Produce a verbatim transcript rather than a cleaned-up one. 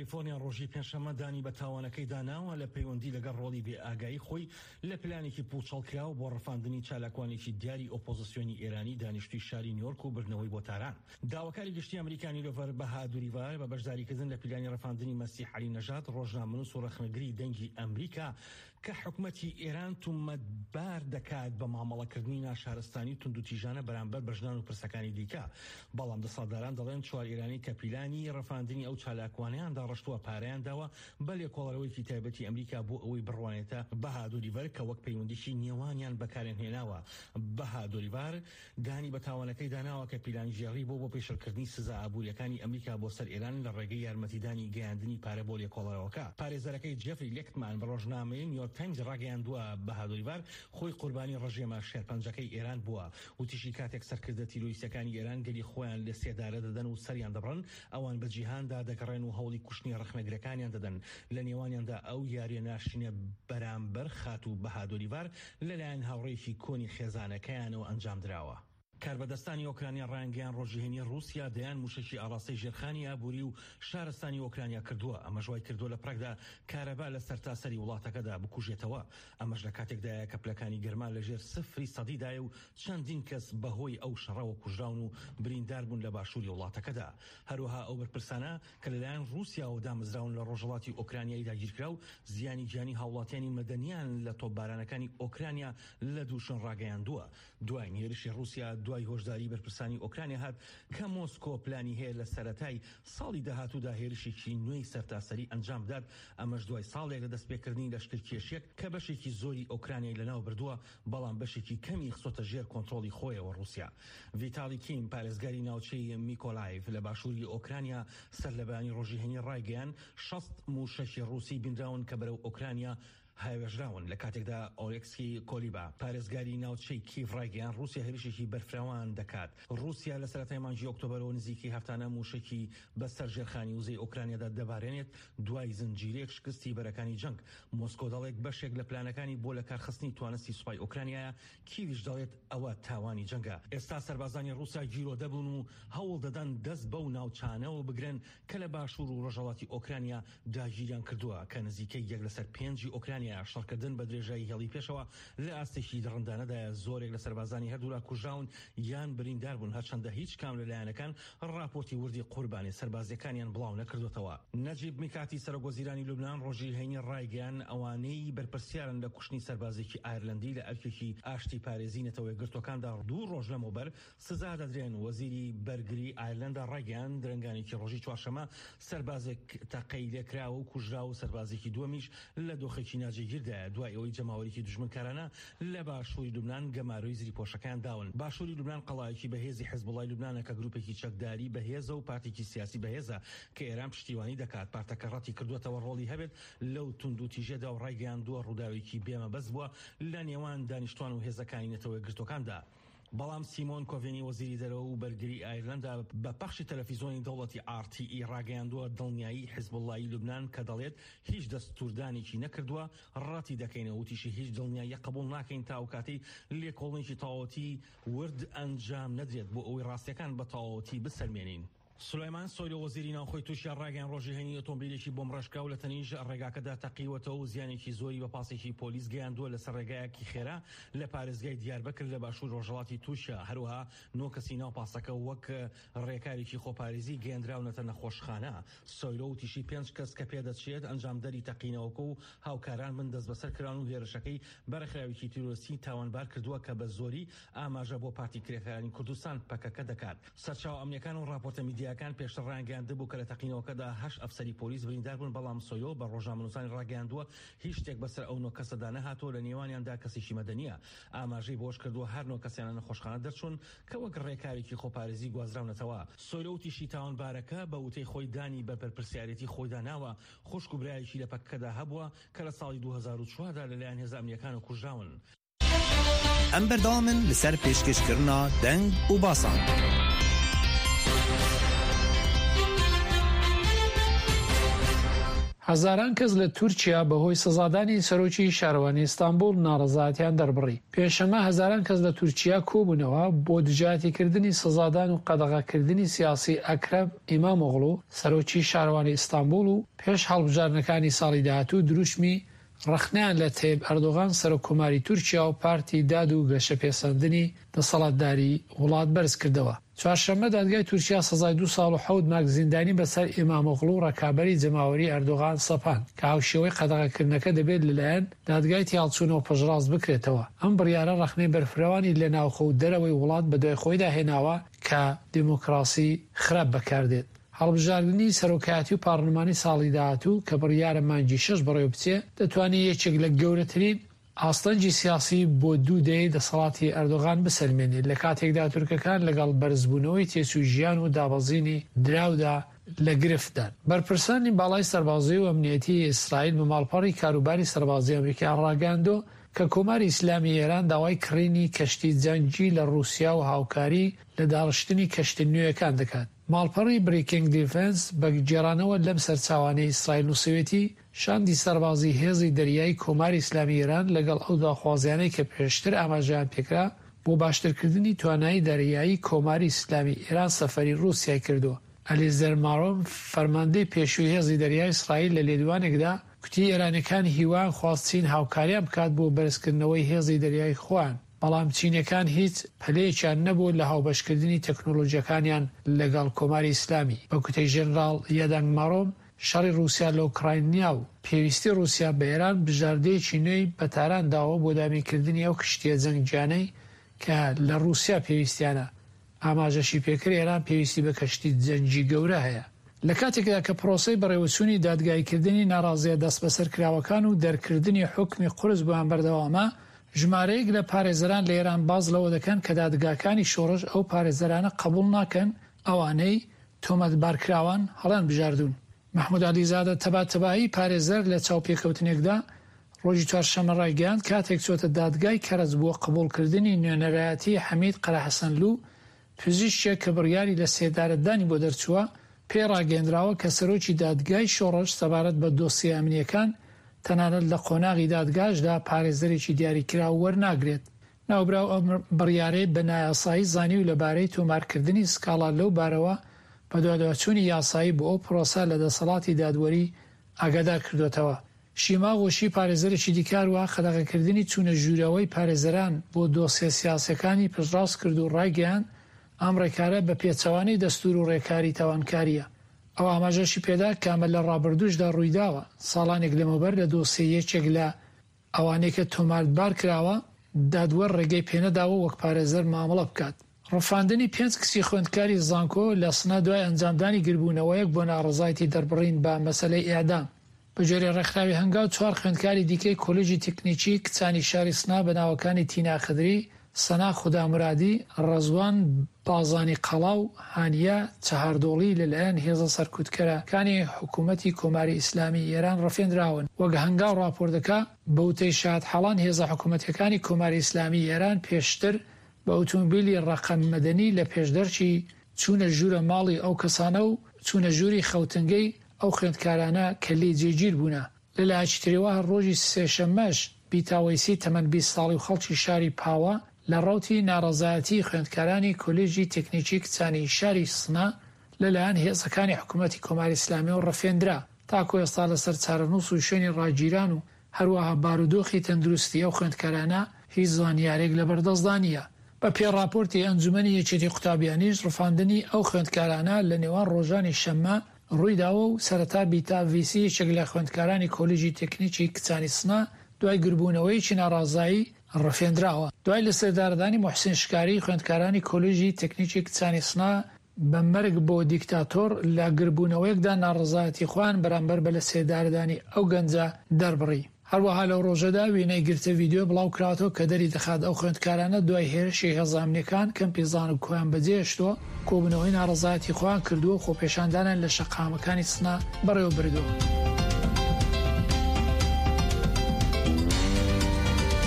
کالیفۆرنیا ڕۆژی پێنجشەممە دانی بە تاوانەکەیدا ناوە لە پەیوەندی لەگەڵ ڕۆڵی بێ ئاگایی خۆی لە پلانێکی پوچەڵکراو بۆ ڕفاندنی چالاکوانێکی دیاری ئۆپۆزیسیۆنی ئێرانی دانیشتووی شاری نیویۆرک و بردنەوەی بۆ تاران. داواکاری گشتی ئەمریکا نیلۆفەر بەهادوریڤار بە بەشداریکردن لە پیلانی ڕفاندنی مەسیح عەلی نەژاد، ڕۆژنامەنووس و ڕەخنەگری دەنگی ئەمریکا کە حکومەتی ئێران تومەتبار دەکات بە مامەڵەکردنی ناشارستانی و توندوتیژانە بەرامبەر بە ژنان و پرسەکانی دیکە. بەڵام دەسەڵاتداران دەڵێن چوار ئێرانی کە پیلانی ڕفاندنی ئەو چالاکوانەیان داڕشتووە پارەیان داوە بە لێکۆڵەرەوەیەکی تایبەتی ئەمریکا بۆ ئەوەی بڕوانێتە بەهادوریڤەر کە وەک پەیوەندیی نێوانیان بەکاریان هێناوە. بەهادوریڤار دانی بە تاوانەکەی داناوە کە پیلانگێڕی بۆ بۆ پێشلکردنی سزا ئابووریەکانی ئەمریکا بۆ سەر ئێران لە ڕێگەی یارمەتیدانی گەیاندنی پارە بۆ لێکۆڵەرەوەکە. پارێزەرەکەی جێفری لێکتمان بە ڕۆژنامەی نیویۆرک تایمز ڕاگەیاندووە بەهادوریڤار خۆی قوربانی ڕژێمە شێرپەنجەکەی ئێران بووە. وتیشی کاتێک سەرکردە تیرۆریستەکانی ئێران گەلی خۆیان لە سێدارە دەدەن و سەریان دەبڕن، ئەوان بە جیهاندا دەگەڕێن و هەوڵی کوشتنی ڕەخنەگرەکانیان دەدەن، لە نێوانیاندا ئەو یاریە ناشرینە بەرامبەر خاتوو بەهادوریڤار لەلایەن هاوڕێیەکی کۆنی خێزانەکەیانەوە ئەنجام دراوە. کاربەدەستانی ئۆکرانیا ڕایانگەیاند ڕۆژی هەینی ڕووسیا دەیان مووشەکی ئاڕاستەی ژێرخانی ئابووری و شارستانی ئۆکرانیا کردووە، ئەمەش وای کردووە لە پڕێکدا کارەبا لە سەرتاسەری وڵاتەکەدا بکوژێتەوە. ئەمەش لە کاتێکدایە کە پلەکانی گەرما لەژێر سفری سەدیدایە و چەندین کەس بەهۆی ئەو شەڕەوە کوژراون و بریندار بوون لە باشووری وڵاتەکەدا. هەروەها ئەو بەرپرسانە کە لەلایەن ڕووسیاوە دامەزراون لە ڕۆژهەڵاتی ئۆکرانیای داگیرکراو زیانی گیانی هاوڵاتیانی مەدەنیان لە تۆپبارانەکانی ئۆکرانیا لە دوو شوێن ڕاگەیاندووە. دوایین هێرشی ڕووسیا دوای هۆشداری بەرپرسانی ئۆکرانیا هات کە مۆسکۆ پلانی هەیە لە سەرەتای ساڵی داهاتوودا هێرشێکی نوێی سەرتاسەری ئەنجام بدات، ئەمەش دوای ساڵێک لە دەستپێکردنی لەشکرکێشیەک کە بەشێکی زۆری ئۆکرانیای لەناو بردووە، بەڵام بەشێکی کەمی خستۆتە ژێر کۆنترۆڵی خۆیەوە. ڕووسیا ڤیتالی کیم پارێزگاری ناوچەی میکۆلایڤ لە باشووری ئۆکرانیا سەر لە بەیانی ڕۆژی هەینی ڕایگەیاند شەست مووشەکی ڕووسی بینراون کە بەرەو ئۆکرانیا هاوێژراون. لە کاتێکدا ئۆلێکسی کۆلیبا پارێزگاری ناوچەی کیڤ ڕایگەیاند ڕووسیا هێرشێکی بەرفراوان دەکات. ڕووسیا لە سەرەتای مانگی ئۆکتۆبەرەوە نزیکەی هەفتانە مووشەکی بەسەر ژێرخانی وزەی ئۆکرانیادا دەبارێنێت دوای زنجیرەیەک شکستی بەرەکانی جەنگ. مۆسکۆ دەڵێت بەشێک لە پلانەکانی بۆ لەکارخستنی توانستی سوپای ئۆکرانیایە، کیڤیش دەڵێت ئەوە تاوانی جەنگە. ئێستا سەربازانی ڕووسیا گیرۆدە بوون و هەوڵ دەدەن دەست بەو ناوچانەوە بگرن کە لە باشوور و ڕۆژهەڵاتی ئۆکرانیا داگیریان کردووە کە نزیکەی یەک لەسەر پێنجی ئۆکرانیا. شەڕکردن بە درێژایی هێڵی پێشەوە لە ئاستێکی دڕندانەدایە. زۆرێک لە سەربازانی هەردوولا کوژراون یان بریندار بوون، هەرچەندە هیچ کام لە لایەنەکان ڕاپۆرتی وردی قوربانی سەربازیەکانیان بڵاو نەکردوتەوە. نەجیب میکاتی سەرۆک وەزیرانی لوبنان ڕۆژی هەینی ڕایگەیاند ئەوانەی بەرپرسیارن لە کوشتنی سەربازێکی ئایرلەندی لە ئەرکێکی ئاشتی پارێزی نەتەوە یەکگرتووەکاندا دوو ڕۆژ لەمەوبەر سزا دەدرێن. وەزیری بەرگری ئایرلەندا ڕایگەیاند درەنگانێکی ڕۆژی چوارشەممە سەربازێک تەقەی لێکراوە و کوژرا و سەربازێکی دووەمیش لە دۆخێکی ناجێگیردایە دوای ئەوەی جەماوەرێکی دوژمنکارانە لە باشووری لوبنان گەمارۆی زریپۆشەکەیان داون. باشووری لوبنان قەڵایەکی بەهێزی حزبوڵای لوبنانە کە گروپێکی چەکداری بەهێزە و پارتێکی سیاسی بەهێزە کە ئێران پشتیوانی دەکات. پارتەکە ڕەتی کردووەتەوە ڕۆڵی هەبێت لەو توندوتیژەدا و ڕایگەیاندووە ڕووداوێکی بێمەبەست بووە لە نێوان دانیشتوان و هێزەکانی نەتەوە یەکگرتووەکاندا. بەڵام سیمۆن کۆڤێنی وەزیری دەرەوە و بەرگری ئایرلەندا بە پەخشی تەلەفیزیۆنی دەوڵەتی ئاڕ تی ئی ڕاگەیاندووە دڵنیایی حزبوڵای لوبنان کە دەڵێت هیچ دەستوردانێکی نەکردووە ڕەتی دەکەینەوە. وتیشی هیچ دڵنیاییە قبوڵ ناکەین تا ئەو کاتەی لێکۆڵینێکی تەواوەتی ورد ئەنجام نەدرێت بۆ ئەوەی ڕاستیەکان بە تەواوەتی بسەلمێنین. سولەیمان سۆیلۆ وەزیری ناوخۆی تورکیا ڕایگەیاند ڕۆژی هەینی ئۆتۆمبیلێکی بۆمبڕێژکراو لە تەنیشت ڕێگاکەدا تەقیوەتەوە و زیانێکی زۆری بە پاسێکی پۆلیس گەیاندووە لەسەر ڕێگایەکی خێرا لە پارێزگای دیاربەکر لە باشوور ڕۆژهەڵاتی تورکیا. هەروەها نۆ کەسی ناو پاسەکە وەک ڕێکارێکی خۆپارێزی گەیەندراونەتە نەخۆشخانە. سۆیلۆ وتیشی پێنج کەس کە پێدەچێت ئەنجامدەری تەقینەوەکە و هاوکاران بن دەستبەسەر کراون و هێرشەکەی بە ڕێکخراوێکی تیرۆریستی تاوانبار کردووە کە بە زۆری ئاماژە بۆ پارتی کرێکارانی کوردستان پەکەکە دەکات. سەرچاوە ئەمنیەکان و ڕاپۆرتە میدیاکان پێشتر ڕایانگەیاندبوو کە لە تەقینەوەکەدا هەشت ئەفسەری پۆلیس بریندار بوون، بەڵام سۆیۆ بە ڕۆژنامەنووسانی ڕاگەیاندووە هیچ شتێک بەسەر ئەو نۆ کەسەدا نەهاتووە، لە نێوانیاندا کەسێکی مەدەنیە. ئاماژەی بەوەش کردووە هەر نۆ کەسیان لە نەخۆشخانە دەرچوون کە وەک ڕێکارێکی خۆپارێزی گوازراونەتەوە. سۆیلۆ وتیشی تاوانبارەکە بە وتەی خۆی دانی بە بەرپرسیارێتی خۆیدا ناوە، خوشک و برایەکی لە پەکەکەدا هەبووە کە لە ساڵی دوو هەزار و چواردە لەلایەن هێزە ئەمنیەکانەوە کوژراون. ئەم بەردەوامن لەسەر پێشکەشکردنا دەنگ و باسان. هەزاران کەس لە تورکیا بەهۆی سزادانی سەرۆکی شارەوانی ئیستانبوڵ ناڕەزایەتیان دەربڕی. پێنجشەممە هەزاران کەس لە تورکیا کۆبوونەوە بۆ دژایەتیکردنی سزادان و قەدەغەکردنی سیاسی ئەکرەم ئیمامئۆغڵو سەرۆکی شارەوانی ئیستانبوڵ و پێش هەڵبژاردنەکانی ساڵی داهاتوو دروشمی ڕەخنەیان لە تەیب ئەردۆغان سەرۆک کۆماری تورکیا و پارتی داد و گەشەپێسەندنی دەسەڵاتداری وڵات بەرزکردەوە. چوارشەممە دادگای تورکیا سزای دوو ساڵ و حەوت مانگ زیندانی بەسەر ئیمامئۆغڵو ڕەکابەری جەماوەری ئەردۆغان سەپاند کە هاوشێوەی قەدەغەکردنەکە دەبێت لەلایەن دادگای تێهەڵچوونەوە پشتڕاست بکرێتەوە. ئەم بڕیارە ڕەخنەی بەرفرەوانی لە ناوخۆ و دەرەوەی وڵات بەدوای خۆیدا هێناوە کە دیموکراسی خراپ بەکاردێت. هەڵبژاردنی سەرۆکایەتی و پارلمانی ساڵی داهاتوو کە بڕیارە مانگی شەش بەڕێوەبچێ، دەتوانێت یەکێک لە گەورەترین ئاستەنگی سیاسی بۆ دوو دەیەی دەسەڵاتی ئەردۆغان بسەلمێنێت، لە کاتێکدا تورکەکان لەگەڵ بەرزبوونەوەی تێچووی ژیان و دابەزینی دراودا لە گرفتدان. بەرپرسانی باڵای سەربازی و ئەمنیەتیی ئیسرائیل بە ماڵپەڕی کاروباری سەربازی ئەمریکایان ڕاگەیاندووە کە کۆماری ئیسلامی ئێران داوای کڕینی کەشتی جەنگی لە ڕووسیا و هاوکاری لە داڕشتنی کەشتە نوێیەکان دەکات. ماڵپەڕی بریکینگ دیفێنس بە گێڕانەوە لەم سەرچاوانەی ئیسرائیل نووسیویەتی، شاندی سەربازی هێزی دەریایی کۆماری ئیسلامی ئێران لەگەڵ ئەو داخوازیانەی کە پێشتر ئاماژەیان پێکرا بۆ باشترکردنی توانایی دەریایی کۆماری ئیسلامی ئێران سەفەری ڕووسیای کردووە. ئەلیزەر مارۆم فەرماندەی پێشووی هێزی دەریای ئیسرائیل لە لێدوانێکدا کوتی ئێرانیەکان هیوایان خواست چین هاوکاریان بکات بۆ بەرزکردنەوەی هێزی دەریایی خۆیان، بەڵام چینیەکان هیچ پەلەیەکیان نەبوو لە هاوبەشکردنی تەکنۆلۆژیەکانیان لەگەڵ کۆماری ئیسلامی. بە کوتەی ژەنراڵ یادانگ مارۆم، شەڕی ڕووسیا لە ئۆکراینیا و پێویستی ڕووسیا بە ئێران بژاردەیەکی نوێی بە تاران داوە بۆ دابینکردنی ئەو کشتیە جەنگیانەی کە لە ڕووسیا پێویستیانە. ئاماژەشی پێکرد ئێران پێویستی بە کەشتی جەنگی گەورە هەیە. لە کاتێکدا کە پرۆسەی بەڕێوەچوونی دادگاییکردنی ناڕازییە دەستبەسەرکراوەکان و دەرکردنی حوکمی قورس بۆیان بەردەوامە، ژمارەیەک لە پارێزەران لە ئێران باس لەوە دەکەن کە دادگاکانی شۆڕش ئەو پارێزەرانە قبوڵ ناکەن ئەوانەی تۆمەتبارکراوان هەڵیانبژاردوون. مەحمود عەلیزادە تەباتەبایی پارێزەر لە چاوپێکەوتنێکدا ڕۆژی چوارشەممە ڕایگەیاند کاتێک چۆتە دادگای کەرەج بۆ قبوڵکردنی نوێنەرایەتی حەمید قەرەحەسەنلوو پزیشکێک کە بڕیاری لە سێدارەدانی بۆ دەرچووە، پێی ڕاگەیەندراوە کە سەرۆکی دادگای شۆڕش سەبارەت بە دۆسیە ئەمنییەکان تەنانەت لە قۆناغی دادگاشدا پارێزەرێکی دیاریکراو وەرناگرێت. ناوبراو ئەم بڕیارەی بە نایاسایی زانی و لەبارەی تۆمارکردنی سکاڵا لەو بارەوە بەدواداچوونی یاسایی بۆ ئەو پرۆسە لە دەسەڵاتی دادوەری ئاگادار کردۆتەوە. شیما غوشی پارێزەرێکی دیکە هەروەها قەدەغەکردنی چوونە ژوورەوەی پارێزەران بۆ دۆسیە سیاسیەکانی پشتڕاست کرد و ڕایگەیاند ئەم ڕێکارە بە پێچەوانەی دەستوور و ڕێکاری تاوانکارییە. ئەو ئاماژەشی پێدا کە ئەمە لە ڕابردووشدا ڕوویداوە، ساڵانێک لەمەوبەر لە دۆسیەی یەکێک لە ئەوانەی کە تۆمارتبار کراوە، دادوەر ڕێگەی پێنەداوە وەک پارێزەر مامەڵە بکات. ڕفاندنی پێنج کچی خوێندکاری زانکۆ لە سنە دوای ئەنجامدانی گربوونەوەیەک بۆ ناڕەزایەتی دەربڕین بە مەسەلەی ئێعدام. بەگوێرەی ڕێکخراوی هەنگاو چوار خوێندکاری دیکەی کۆلێژی تکنیکی کچانی شاری سنە بە ناوەکانی تینا خدری، سەنا خودامورادی، ڕەزوان بازانی قەڵا و هانیە چەهاردۆڵی لەلایەن هێزە سەرکوتکەرەکانی حکوومەتی کۆماری ئیسلامیی ئێران ڕفێندراون. وەک هەنگاو ڕاپۆرت دەکا، بە وتەی شاهدحاڵان هێزە حکوومەتییەکانی کۆماری ئیسلامیی ئێران پێشتر بە ئوتومبیلی ڕەقەم مەدەنی لە پێشدەرکی چوونە ژوورە ماڵی ئەو کەسانە و چوونە ژووری خەوتنگەی ئەو خوێندکارانە کە لێی جێگیر بوونە. لە لایەکی ترەوە هەر ڕۆژی سێشەممەش بیتا وەیسی تەمەن بیست ساڵی و خەڵکی شاری پاوە لە ڕەوتی ناڕەزایەتیی خوێندکارانی کۆلێژی تکنیکی کچانی شاری سنە لە لایەن هێزەکانی حکوومەتی کۆماری ئیسلامییەوە ڕفێندرا. تاکوو ئێستا لەسەر چارەنووس و شوێنی ڕاگیران و هەروەها بارودۆخی تەندروستی ئەو خوێندکارانە هیچ زانیارێک لەبەردەستدا نییە. بە پێی ڕاپۆرتی ئەنجومەنی یەکێتی قوتابیانیش ڕفاندنی ئەو خوێندکارانە لە نێوان ڕۆژانی شەممە ڕوویداوە و سەرەتا بیتا ڤیسی یەکێک لە خوێندکارانی کۆلیژی تەکنیکی کچانی سنە دوای گربوونەوەیەکی ناڕازایی ڕفێندراوە. دوای لەسێدارەدانی موحسین شکاری خوێندکارانی کۆلیژی تەکنیکی کچانی سنە بە مەرگ بۆ دیکتاتۆر لە گربوونەوەیەکدا ناڕەزایەتی خۆیان بەرامبەر بە لەسێدارەدانی ئەو گەنجە دەربڕی. هەروەها لەو ڕۆژەدا وێنەی گرتە ڤیدیۆ بڵاو کراوەتەوە کە دەری دەخات ئەو خوێندکارانە دوای هێرشی هێزە ئەمنیەکان کەمپی زانکۆیان بەجێهێشتووە، کۆبوونەوەی ناڕەزایەتی خۆیان کردووە و خۆپێشاندانیان لە شەقامەکانی سنە بەڕێوە بردووە.